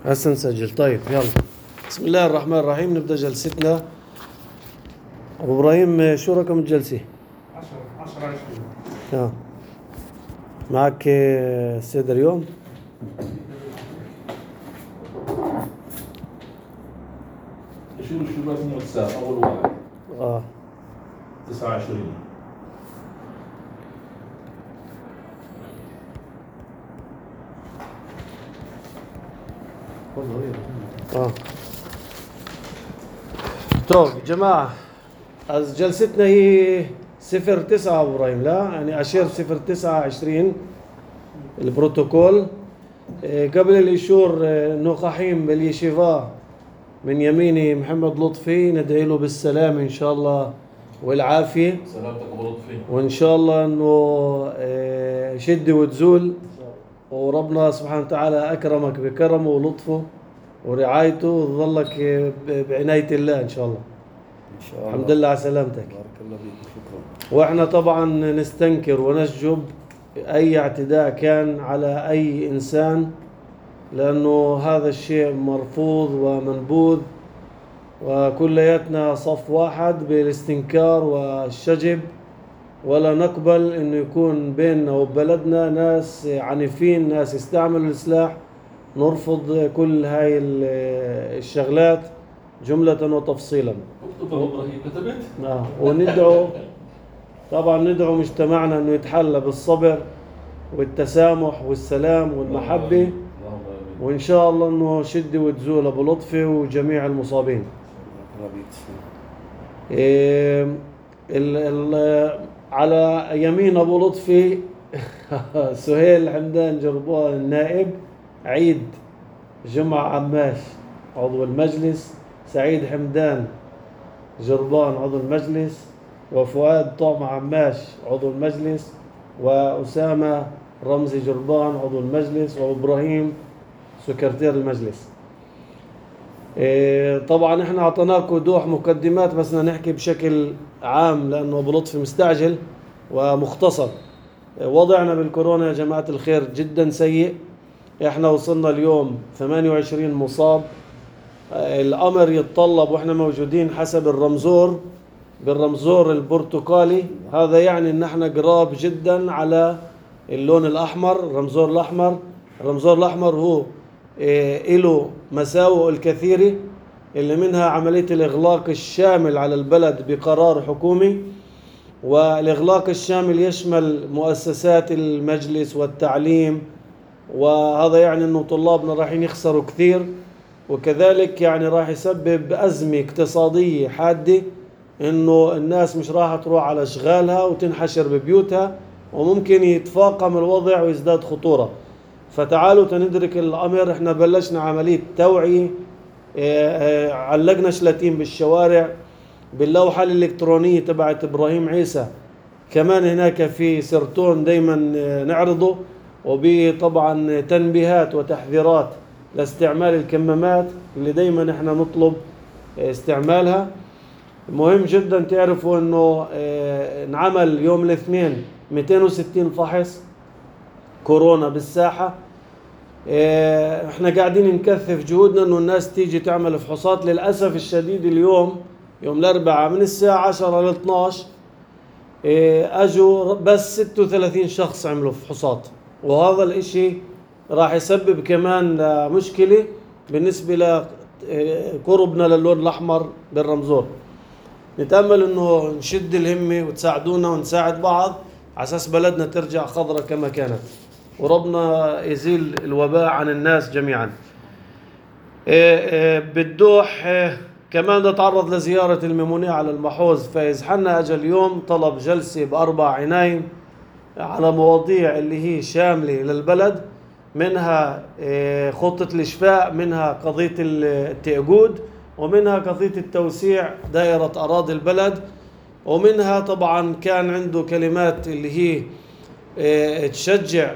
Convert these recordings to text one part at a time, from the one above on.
هسه نسجل. طيب يلا. بسم الله الرحمن الرحيم. نبدأ جلستنا. أبو إبراهيم شو رقم الجلسة؟ 10 معك السيد اليوم؟ شو لازم واتساب أول واحد 29. طيب جماعة، جلستنا هي 09 أبو إبراهيم، لا يعني أشير 09/20 البروتوكول. قبل الإشور نقحيم باليشيفا من يميني محمد لطفي، ندعي له بالسلام إن شاء الله والعافية. سلامتك أبو لطفي. وإن شاء الله إنه شدة وتزول، وربنا سبحانه وتعالى أكرمك بكرمه ولطفه ورعايته، وتظلك بعناية الله إن شاء الله. إن شاء الله. الحمد لله على سلامتك. بارك الله فيك، شكرا. وإحنا طبعا نستنكر ونشجب أي اعتداء كان على أي إنسان، لأنه هذا الشيء مرفوض ومنبوذ، وكلياتنا صف واحد بالاستنكار والشجب، ولا نقبل إنه يكون بيننا وبلدنا ناس عنيفين، ناس يستعملوا السلاح. نرفض كل هاي الشغلات جملة وتفصيلا. اكتب أبو إبراهيم، كتبت؟ وندعو طبعا ندعو مجتمعنا انه يتحلى بالصبر والتسامح والسلام والمحبة، وان شاء الله انه شدة وتزول ابو لطفي وجميع المصابين. على يمين ابو لطفي سهيل حمدان جربوان النائب، عيد جمعة عماش عضو المجلس، سعيد حمدان جربان عضو المجلس، وفؤاد طعم عماش عضو المجلس، وأسامة رمزي جربان عضو المجلس، وإبراهيم سكرتير المجلس. طبعا احنا اعطيناكم وضوح مقدمات، بس بدنا نحكي بشكل عام لأنه أبو لطفي مستعجل ومختصر. وضعنا بالكورونا يا جماعة الخير جدا سيء. احنا وصلنا اليوم 28 مصاب. الأمر يتطلب، وإحنا موجودين حسب الرمزور بالرمزور البرتقالي، هذا يعني إن إحنا قراب جدا على اللون الأحمر، الرمزور الأحمر. الرمزور الأحمر هو له مساوئ الكثيرة، اللي منها عملية الإغلاق الشامل على البلد بقرار حكومي، والإغلاق الشامل يشمل مؤسسات المجلس والتعليم، وهذا يعني إنه طلابنا رايحين يخسروا كثير، وكذلك يعني راح يسبب أزمة اقتصادية حادة، إنه الناس مش راح تروح على أشغالها وتنحشر ببيوتها، وممكن يتفاقم الوضع ويزداد خطورة. فتعالوا تندرك الأمر. إحنا بلشنا عملية توعية، علقنا شلاتين بالشوارع باللوحة الإلكترونية تبعت إبراهيم عيسى، كمان هناك في سرطون دايما نعرضه، وبطبعا تنبيهات وتحذيرات لاستعمال الكمامات اللي دايما احنا نطلب استعمالها. مهم جدا تعرفوا انه انعمل يوم الاثنين 260 فحص كورونا بالساحة. احنا قاعدين نكثف جهودنا انه الناس تيجي تعمل فحوصات. للأسف الشديد اليوم يوم الأربعاء من الساعة 10 ل 12 اجوا بس 36 شخص عملوا فحوصات، وهذا الاشي راح يسبب كمان مشكلة بالنسبة لقربنا للون الأحمر بالرمزور. نتأمل إنه نشد الهمة وتساعدونا ونساعد بعض على أساس بلدنا ترجع خضرة كما كانت، وربنا يزيل الوباء عن الناس جميعا. بالدوح كمان نتعرض لزيارة الممونية على المحوظ فايز حنا. أجل اليوم طلب جلسة ب4 عنايم على مواضيع اللي هي شاملة للبلد، منها خطة الإشفاء، منها قضية التأجود، ومنها قضية التوسيع دائرة أراضي البلد، ومنها طبعا كان عنده كلمات اللي هي تشجع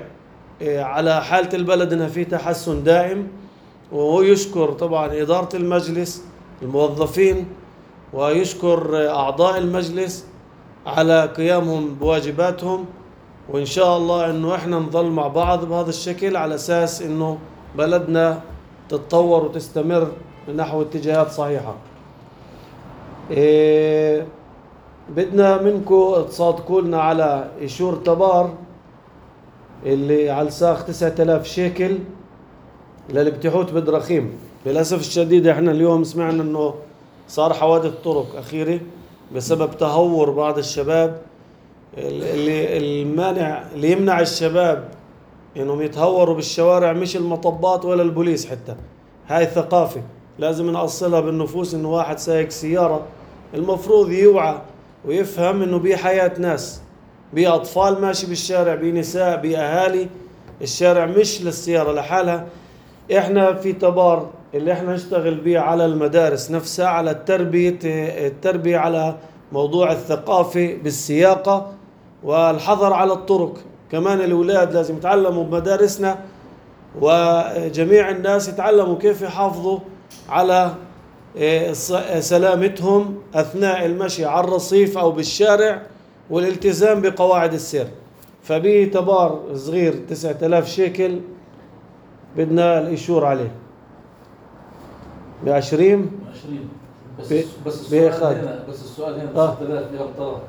على حالة البلد انها في تحسن دائم. وهو يشكر طبعا إدارة المجلس الموظفين، ويشكر أعضاء المجلس على قيامهم بواجباتهم، وإن شاء الله إنه إحنا نظل مع بعض بهذا الشكل على أساس إنه بلدنا تتطور وتستمر نحو اتجاهات صحيحة. بدنا منكم تصادقوا لنا على إيشور تبار اللي على الساق 9000 شيكل للابتحوث بدراخيم. للأسف الشديد احنا اليوم سمعنا انه صار حوادث طرق أخيرة بسبب تهور بعض الشباب. اللي يمنع الشباب انهم يتهوروا بالشوارع مش المطبات ولا البوليس حتى. هاي ثقافة لازم نأصلها بالنفوس، انه واحد سايق سيارة المفروض يوعى ويفهم انه بيه حياة ناس، بيه أطفال ماشي بالشارع، بيه نساء، بيه أهالي. الشارع مش للسيارة لحالها. احنا في تبار اللي احنا نشتغل بيه على المدارس نفسها، على التربية على موضوع الثقافة بالسياقة والحظر على الطرق. كمان الأولاد لازم يتعلموا بمدارسنا، وجميع الناس يتعلموا كيف يحافظوا على سلامتهم أثناء المشي على الرصيف أو بالشارع، والالتزام بقواعد السير. فبيه تبار صغير 9000 شيكل بدنا الإيشور عليه ب20 بس السؤال هنا 6000 بهالطرف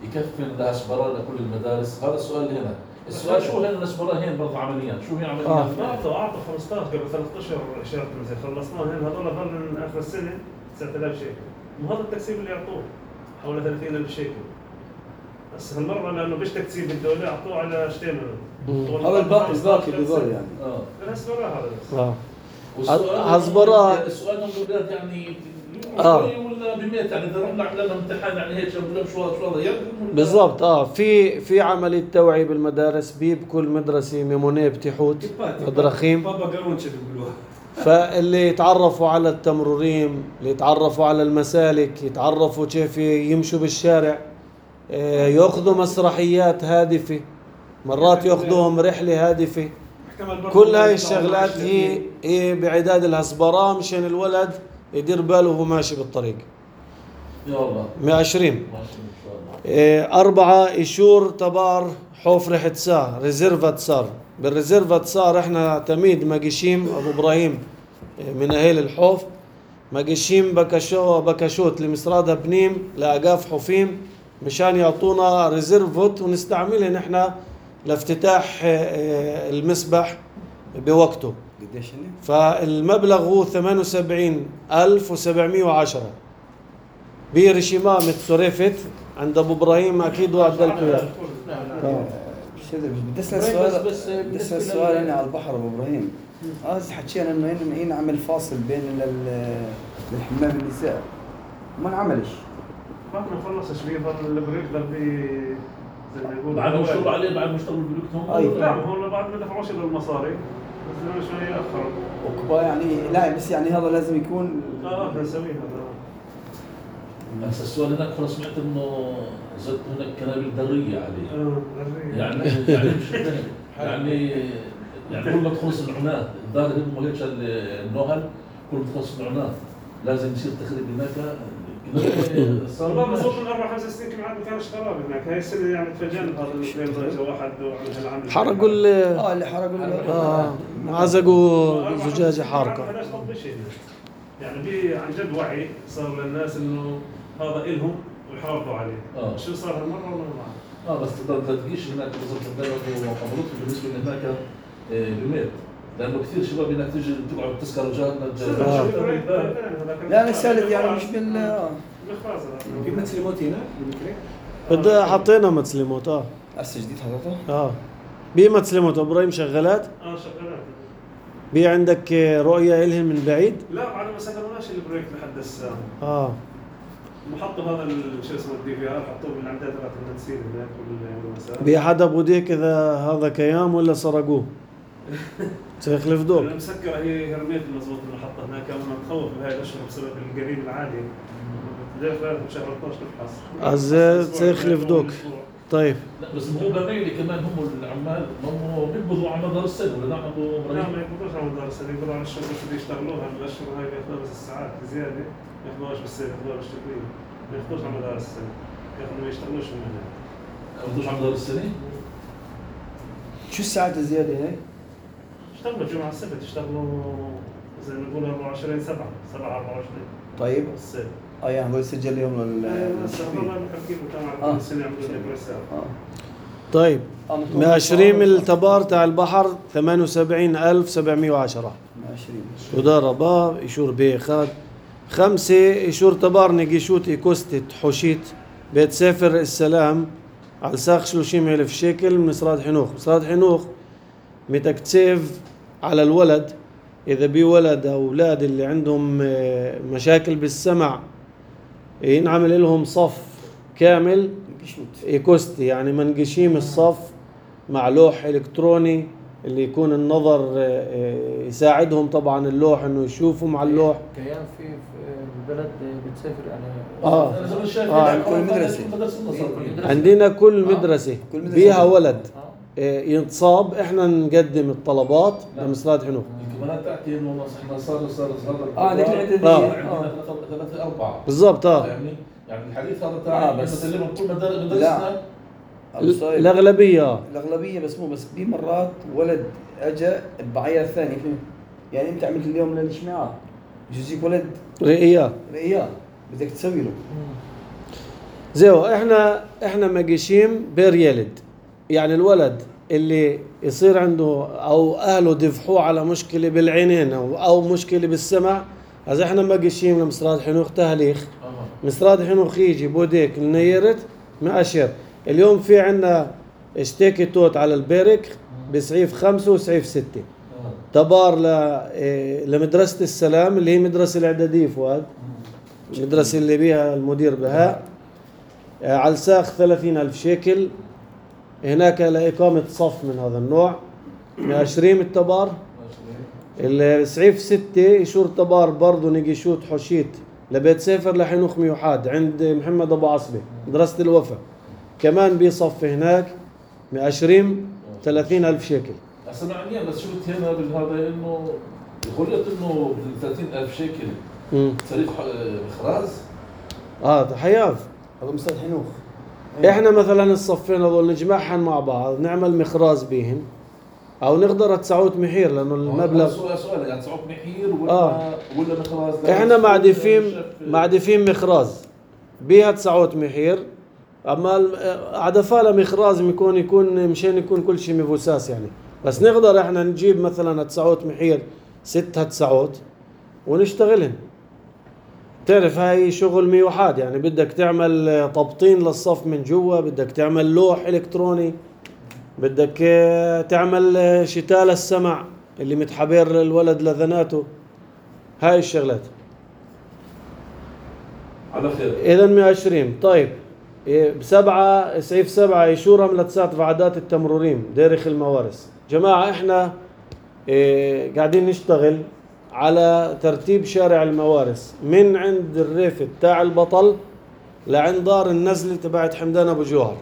يكفي الاسبرار لكل المدارس؟ هذا السؤال هنا. السؤال شو هن الاسبرار هنا برضه عمليا؟ شو هي عمليا؟ اعطوا 15 قبل 13 اشاره مثل خلصناه هنا. هذول ظل من اخر السنه 9000 شيكل، وهذا التكسيب اللي يعطوه حوالي 30000 شيكل. بس هالمره لانه مش تكسيب الدوله اعطوه على شتين هذا الباقي بذول يعني. الاسبرار هذا بس. هزبرة السؤال من الاولاد يعني ولا بميت يعني اذا رحنا عملنا امتحان يعني هيك بقول شو هذا بالضبط. في عملية توعية بالمدارس، بكل مدرسة ميمونيه بتحوث بدراخيم. بابا قرونش بيقولوها. فاللي يتعرفوا على التمروريم، اللي يتعرفوا على المسالك، يتعرفوا كيف يمشوا بالشارع، ياخذوا مسرحيات هادفة، مرات ياخذوهم رحلة هادفة. كل هاي الشغلات هي بعداد الهسبرة مشان الولد يدير باله وهو ماشي بالطريق. يا الله 120. 4 إيشور تبار حوف حتسا ريزيرفات صار. بالريزيرفات صار احنا تميد ماجيشيم ابو ابراهيم من اهل الحوف، ماجيشيم بكشوت لمصرادها بنيم لاقاف حوفيم مشان يعطونا ريزيرفوت ونستعملها نحن لافتتاح المسبح بوقته. قديش هني؟ فالمبلغ هو 78710 برشيمة متسورفت عند ابو ابراهيم. اكيد وعد لكم اياه. بدي اسال سؤال هنا على البحر ابو ابراهيم. حكينا انه هنا نعمل فاصل بين الحمام النساء، ما انعملش. ما خلصش بيه البريك ضل بيه زي ما يقولوا بعد ما اشتغلوا عليه، بعد ما اشتغلوا البريك هم. لا هو بعد ما دفعوش المصاري بس شويه اخر وكبا يعني. لا بس يعني هذا لازم يكون نسويه هذا. بس السؤال هناك خلص سمعت انه زدت هناك كنابل دريه عليه. يعني مش يعني كل ما تخلص العناد الدار هم هيك النهل، كل ما تخلص العناد لازم يصير تخريب هناك. صار بصوت من 4-5 سنين كم عاد ما كانش خراب هناك. هاي السنه يعني تفاجئنا بهذا الاثنين درجه واحد وعمل حرقوا اللي حرقوا عزقوا زجاجه حارقه. هذاش طب شيء يعني في عن جد وعي صار للناس انه هذا إلهم ويحافظوا عليه. شو صار هالمره ولا بس ما تجيش هناك بالضبط البلد وقبلته بالنسبه لهناك بميت، لانه كثير شباب هناك تيجي تقعد تسكر وجهاتنا. لا نسالت يعني مش في متسلموت هنا بدنا حطينا متسلموت. هسه جديد حضرته. بي متسلموت ابراهيم شغالات. شغالات. بي عندك رؤيه الهم من بعيد؟ لا بعد ما سكرناش البريك لحد الساعه. محطة هذا شو اسمه الدي في ار حطوه بالعمدات تبعت التنسيق هناك والمسار. بحدا بوديك اذا هذا كيام ولا سرقوه؟ سيخلف دوق. انا مسكره هي هرميت مضبوط المحطة هناك. انا متخوف بهاي الاشهر بسبب القليل العالي. بدي فعلا بشهر 12 تفحص. عزيز سيخلف دوق. طيب. لا بس هو غيري كمان هم العمال هم بيقبضوا على مدار السنة ولا نعم ابو ابراهيم؟ لا ما يقبضوش على مدار السنة، يقبضوا على الشهر بس اللي يشتغلوها الاشهر هاي بياخذوها بس الساعات زيادة. ما ياخذوهاش بالسنة، ياخذوها بالشهرية. ما ياخذوش على مدار السنة. ياخذوا ما يشتغلوش من هناك. ما ياخذوش على مدار السنة؟ شو الساعات الزيادة هي؟ اشتغلوا جمعة السبت، اشتغلوا زي 24/7/24. طيب الصيف. يعني هو يسجل يوم بس والله بحكي لكم كمان كل سنه يعملوا لك رسالة. طيب ماشريم التبار تاع البحر 78,710. 20 وداربا إيشور بيخاد 5 إيشور تبار نجيشوت إيكوستت حوشيت بيت سافر السلام على ساق 30,000 شيكل من مصراد حنوخ. مصراد حنوخ متكتسف على الولد إذا بي ولد أو أولاد اللي عندهم مشاكل بالسمع ينعمل لهم صف كامل إيكوستي، يعني منقشيم الصف مع لوح إلكتروني اللي يكون النظر يساعدهم طبعا اللوح انه يشوفوا مع اللوح. كيان في البلد بتسافر يعني كل مدرسة عندنا كل مدرسة بيها ولد ينصاب احنا نقدم الطلبات لمصراد حنوخ. الكمانات تحكي انه احنا صار عندك عندنا 3-4 بالضبط. يعني الحديث هذا تاع بسلمهم كل مدرسنا الأغلبية بس مو بس في مرات ولد اجى بعيار ثاني يعني انت عملت اليوم للاجتماعات يجيك ولد رئية بدك تسوي له زيو. احنا مقيشيم بير يلد، يعني الولد اللي يصير عنده او اهله دفحوه على مشكلة بالعينين او مشكلة بالسمع، هذا احنا مقيشيم لمصراد حنوخ تهليخ. مصراد حنوخ يجي بوديك النيرت مأشر. اليوم في عنا اشتكي توت على البرك بسعيف 5 وسعيف 6 تبار لمدرسة السلام اللي هي مدرسة الإعدادية فؤاد، المدرسة اللي بيها المدير بهاء، على ساق 30,000 شيكل هناك لإقامة صف من هذا النوع. 20 التبار. السعيف 6 يشور تبار برضو نجيشوت حوشيت لبيت سافر لحنوخ ميوحاد عند محمد أبو عصبة مدرسة الوفا، كمان بيصف هناك 20 30,000 شيكل. سمعني بس شفت هنا بالهذا انه قلت انه ب 30,000 شيكل صريح مخراز. حياف هذا مصراد حنوخ. احنا مثلا الصفين هذول نجمعهم مع بعض نعمل مخراز بيهن او نقدر 900 محير لانه المبلغ سؤال يعني 900 محير ولا مخراز. احنا معدفين مخراز بيها 900 محير، اما عدفاله مخراز يكون مشان يكون كل شيء مفوساس يعني. بس نقدر احنا نجيب مثلا 900 محير 6 900 ونشتغلهن. تعرف هاي شغل ميوحاد، يعني بدك تعمل تبطين للصف من جوا، بدك تعمل لوح الكتروني، بدك تعمل شتال السمع اللي متحبر الولد لذناته، هاي الشغلات. على خير. اذا 120. طيب ب7 سعيف 7 يشور ملتسات وعدات التمروريم ديرخ الموارث. جماعة احنا قاعدين نشتغل على ترتيب شارع الموارث من عند الريفة تاع البطل لعند دار النزل تبعت حمدان ابو جوهر.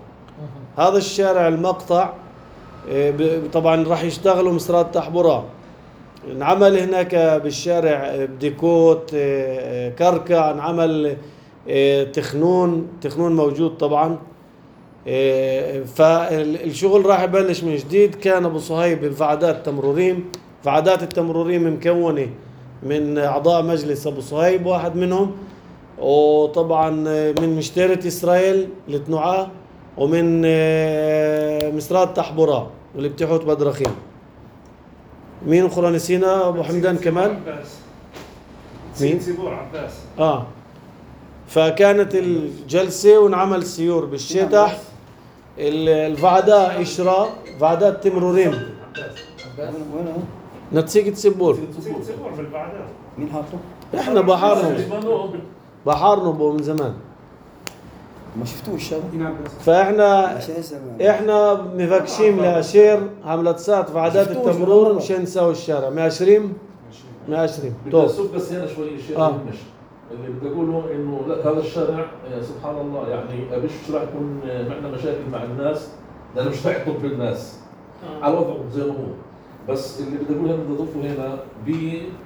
هذا الشارع المقطع طبعا راح يشتغلوا مصراد تحبورا. انعمل هناك بالشارع بديكوت كركع، انعمل تخنون موجود طبعا. فالشغل راح يبلش من جديد. كان ابو صهيب بفعدات تمروريم، فعدات التمروريم مكونة من اعضاء مجلس ابو صهيب واحد منهم، وطبعا من مشترة اسرائيل لتنوعاه، ومن مصراد تحبورا واللي بتحوت بدرخيم. مين اخرى نسينا؟ ابو حمدان كمان. مين؟ سيبور عباس. فكانت الجلسة ونعمل سيور بالشتح. الفعداء إشراء فعدات تمروريم. وين نتسيق تسبور. سيبور بالفعداء. مين حاطه؟ احنا بحارنبه من زمان. ما شفتوش هذا؟ فاحنا مفكشين لاشير عملتسات فعدات التمرور مشان نساوي الشارع. 120 طب بس هنا شوي شيء مش اللي بدي اقوله انه لا هذا الشارع سبحان الله يعني ابيش راح يكون معنا مشاكل مع الناس لانه مش راح يطب بالناس على وضعه زي ما هو. بس اللي بدي اقوله بدي اضيفه هنا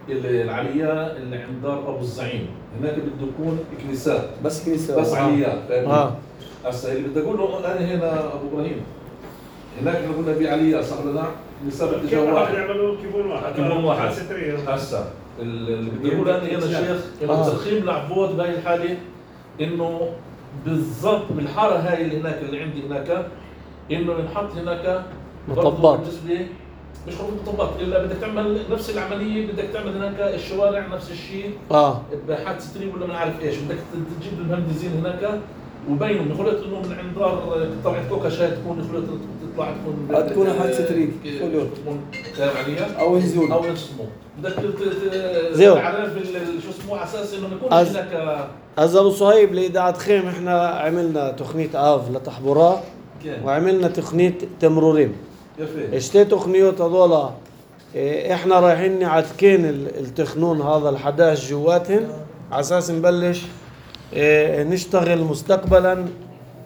بالعلياء اللي عند دار ابو الزعيم هناك بده يكون كنيسات بس عليات. هسه اللي بدي اقوله انا هنا ابو ابراهيم هناك قلنا بعلياء صار لنا كنيسات اتجاه واحد يعملوا كيبون واحد هسه اللي بدي اقوله انا شيخ انه تضخيم العبود بهاي الحاله انه بالضبط بالحاره هاي اللي هناك اللي عندي هناك انه ينحط هناك مطبات. بالنسبه مش خروج مطبات الا بدك تعمل نفس العمليه، بدك تعمل هناك الشوارع نفس الشيء بحادث ستريم ولا ما عارف ايش، بدك تجيب المهندسين هناك وبينهم يخلط انه من عند دار طلعت كوكا شاي تكون يخلط تطلع تكون حادثه ستريم تكون فاهم علي؟ او نزول او اسمه بدك تعرف شو اسمه على اساس انه ما يكونش هناك. أبو صهيب لإذاعة خيم احنا عملنا تقنية آف لتحبورات وعملنا تقنية تمرورين. اشتي تقنيات هذولا احنا رايحين نعتكين التخنون هذا ال11 جواتهن على اساس نبلش نشتغل مستقبلا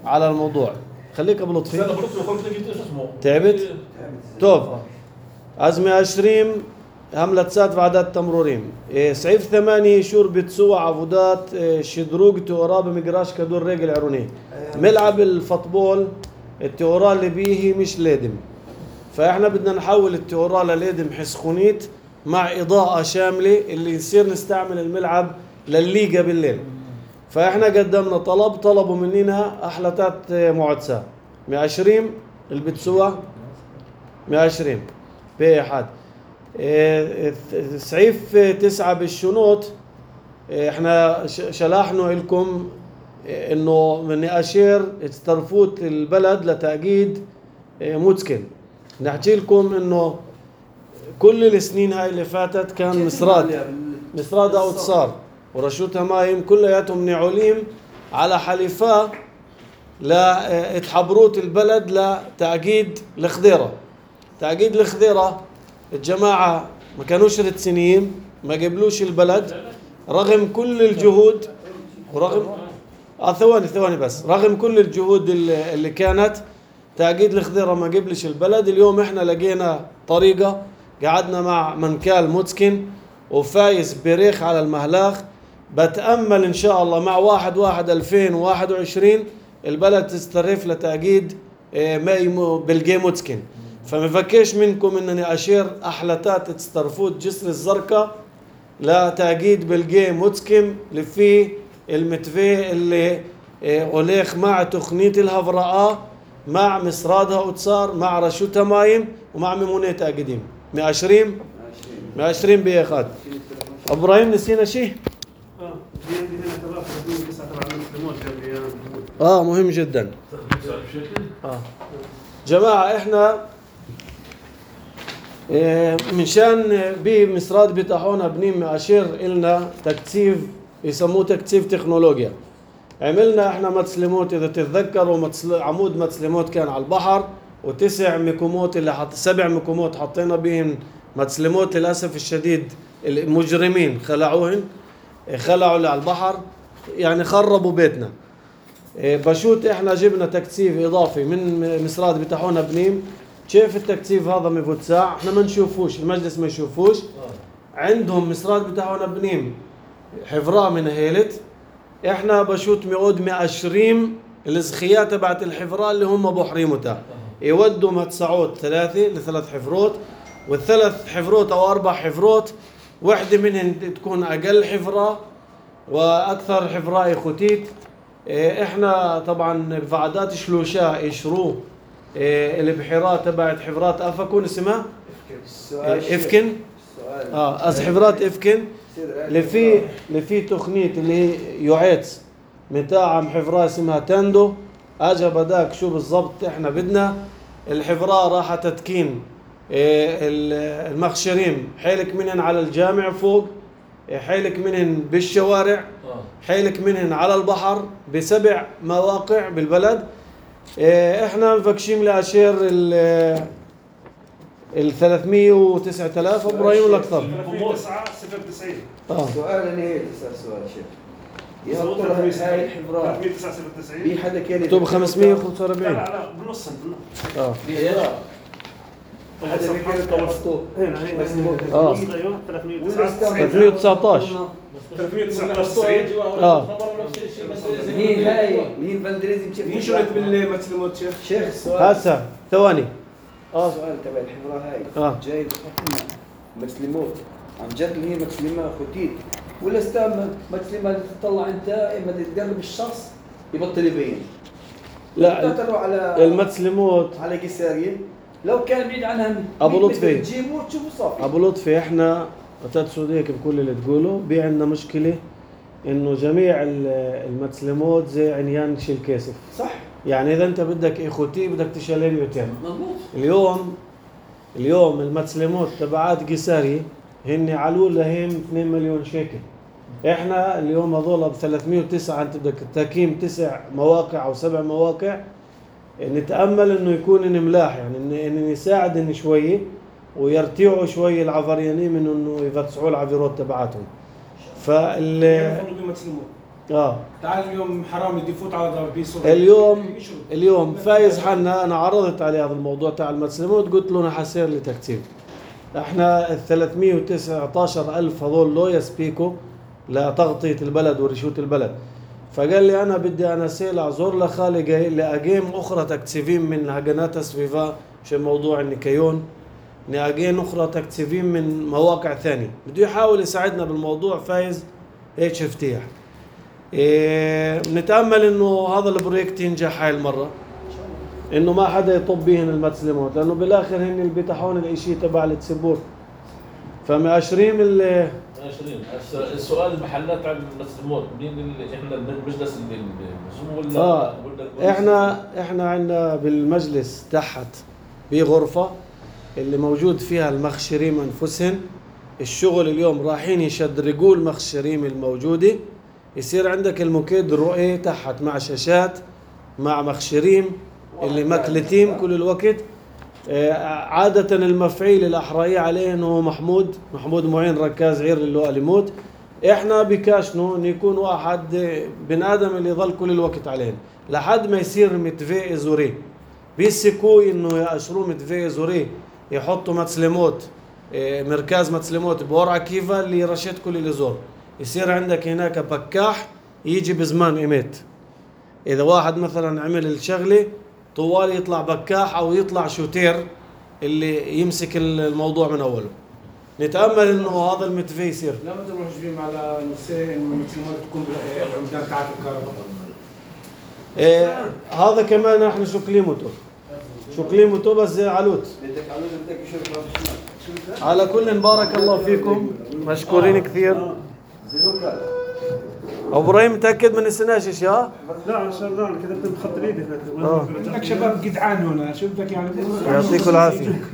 على الموضوع. خليك ابو لطفي. تعبت؟ توب. أزمة 20 عملت سات عدد تمرورين. سعيف 8 شوربة سوى عبودات شدروق تورا بمجراش كدور رجل عروني. ملعب الفوتبول التورا اللي بيه مش لادم. فاحنا بدنا نحول التورا للادم حسخونيت مع إضاءة شاملة اللي يصير نستعمل الملعب للليجا بالليل. فاحنا قدمنا طلبوا مننا احلتات معدسة 120 البتسوى 120 بأحد. سعيف 9 بالشنوط احنا شلحنا لكم انه من اشير استرفوت البلد لتأكيد موتسكن. نحكي لكم انه كل السنين هاي اللي فاتت كان مسراد او تصار ورشوتها مايم كلياتهم نعوليم على حليفة لاتحبروت البلد لتأكيد الخضيرة. تأكيد الخضيرة الجماعة ما كانوش رتسنيين ما قبلوش البلد رغم كل الجهود ورغم ثواني بس رغم كل الجهود اللي كانت تأكيد الخضيرة ما قبلش البلد. اليوم احنا لقينا طريقة قعدنا مع منكال موتسكن وفايز بريخ على المهلاخ. بتأمل إن شاء الله مع 1/1/2021 البلد تسترف لتأكيد بالجي موتسكن. فما فكيش منكم إنني أشير أحلتات تسترفوت جسر الزرقاء لتأكيد بالجي موتسكن اللي فيه المتفي اللي أوليخ مع تقنية الهفراء مع مسرادها وتصار مع رشوتها مايم ومع ميمونة تأكيدين 120 بيخاد. إبراهيم نسينا شيء؟ مهم جدا. جماعة احنا منشان بمسراد بتاعونا بنيم أشير إلنا تكثيف يسموه تكثيف تكنولوجيا. عملنا احنا متسلموت اذا تتذكروا عمود متسلموت كان على البحر و9 مكومات اللي 7 مكومات حطينا بهن متسلموت. للاسف الشديد المجرمين خلعوهن خلعوا على البحر يعني خربوا بيتنا. بشوت احنا جبنا تكثيف اضافي من مسراد بتاعونا بنيم. كيف التكثيف هذا مفتسع احنا ما نشوفوش المجلس ما يشوفوش. عندهم مسراد بتاعونا بنيم حفراء من هيلت احنا بشوت ميعود 120 الزخيات تبعت الحفراء اللي هم بحريمتها يودوا متسعود 3 ل3 حفروت والثلاث حفروت او 4 حفروت واحدة منهن تكون اقل حفراء واكثر حفراء ختيت. احنا طبعا بفعدات شلوشاء يشروه البحيرات تبعت حفرات افكون اسمها افكن حفرات افكن اللي في تقنية اللي هي يعيتس متاع حفراء اسمها تاندو. اجا بداك شو بالضبط احنا بدنا الحفراء راح تتكين المخشرين حيلك منهن على الجامع فوق حيلك منهن بالشوارع حيلك منهن على البحر ب7 مواقع بالبلد. احنا مفكشين لاشير ال 309,000 ابراهيم ولا اكثر؟ 309 سؤال انا هيك سؤال شيخ يا ترى هاي الحفراء 399 في حدا كان مكتوب 545 لا بالنص حدا كان توسطه هنا 319 مين فالدريزي مين شريت بالمتسلموت شيخ سؤال هسه ثواني سؤال تبع الحفراء هاي جاي بحكم مسلموت عن جد اللي هي متسلمة خوتيت، ولا استاذ متسلمة تطلع انت اما تدرب الشخص يبطل يبين. لا تروح على المتسلموت على قيسارية لو كان بعيد عنها أبو لطفي. تجيبه تشوفه صافي. ابو لطفي احنا بتدسوا هيك بكل اللي تقوله، بي عندنا مشكله انه جميع المتسلموت زي عميان شيل كاسف. صح. يعني اذا انت بدك اخوتي بدك تشيلين يوتين. مضبوط. اليوم المتسلموت تبعات قيساري هن علو لهم 2 مليون شيكل. احنا اليوم هذول ب 309 انت بدك تاكيم 9 مواقع او 7 مواقع، نتامل انه يكون ملاح، يعني ان يساعدن شويه ويرتيعوا شويه العفريانين من انه يفتحوا العفيرات تبعاتهم. تعال اليوم حرام يدي يفوت على دار بيس. اليوم فايز حنا انا عرضت عليه هذا الموضوع تاع المتسلموت، قلت له انا حسير لي تكتيب. احنا ال 319,000 هذول لو يسبيكوا لتغطيه البلد ورشوت البلد. فقال لي انا بدي انا سيل زور لخالي لاجيم اخرى تكتيفين من هجنات سفيفا عشان موضوع النكيون، ناجين اخرى تكتيفين من مواقع ثانيه، بده يحاول يساعدنا بالموضوع. فايز هيك افتياح. نتامل انه هذا البروجكت ينجح هاي المره، انه ما حدا يطب بيهن المتسلموت، لانه بالاخر هن اللي بيتحون الاشي تبع التسبور. فمأشرين السؤال المحلات عن المتسلموت مين اللي احنا المجلس اللي ولا احنا عندنا بالمجلس تحت بغرفه اللي موجود فيها المخشرين انفسهن. الشغل اليوم رايحين يشدرقوا المخشرين الموجوده، يصير عندك المكيد رؤية تحت مع شاشات مع مخشرين اللي مكلتين كل الوقت. عادة المفعيل الأحرائي عليه انه محمود معين ركاز عير اللواء لموت. احنا بكاشنو ان يكون واحد بن ادم اللي يظل كل الوقت عليهم لحد ما يصير متفق زوري، بيسكوا انه يأشروا متفق زوري، يحطوا متسلموت مركز متسلموت بورعة كيفا اللي رشد كل اللي زور. يصير عندك هناك بكاح يجي بزمان ايمت، اذا واحد مثلا عمل الشغله طوال يطلع بكاح او يطلع شوتير اللي يمسك الموضوع من اوله. نتامل انه هذا المتفق يصير. لما تروحوا جبين على نساء انه المتسلموت تكون بالعمدان تاعت الكهرباء. هذا كمان احنا شكليمته بس زي علوت. على كل بارك الله فيكم، مشكورين كثير. ابو ابراهيم متاكد من السناشش يا؟ لا ان شاء الله انا كتبت بخط ايدي. عندك شباب جدعان هنا، شو بدك يعني؟ يعطيكم العافيه.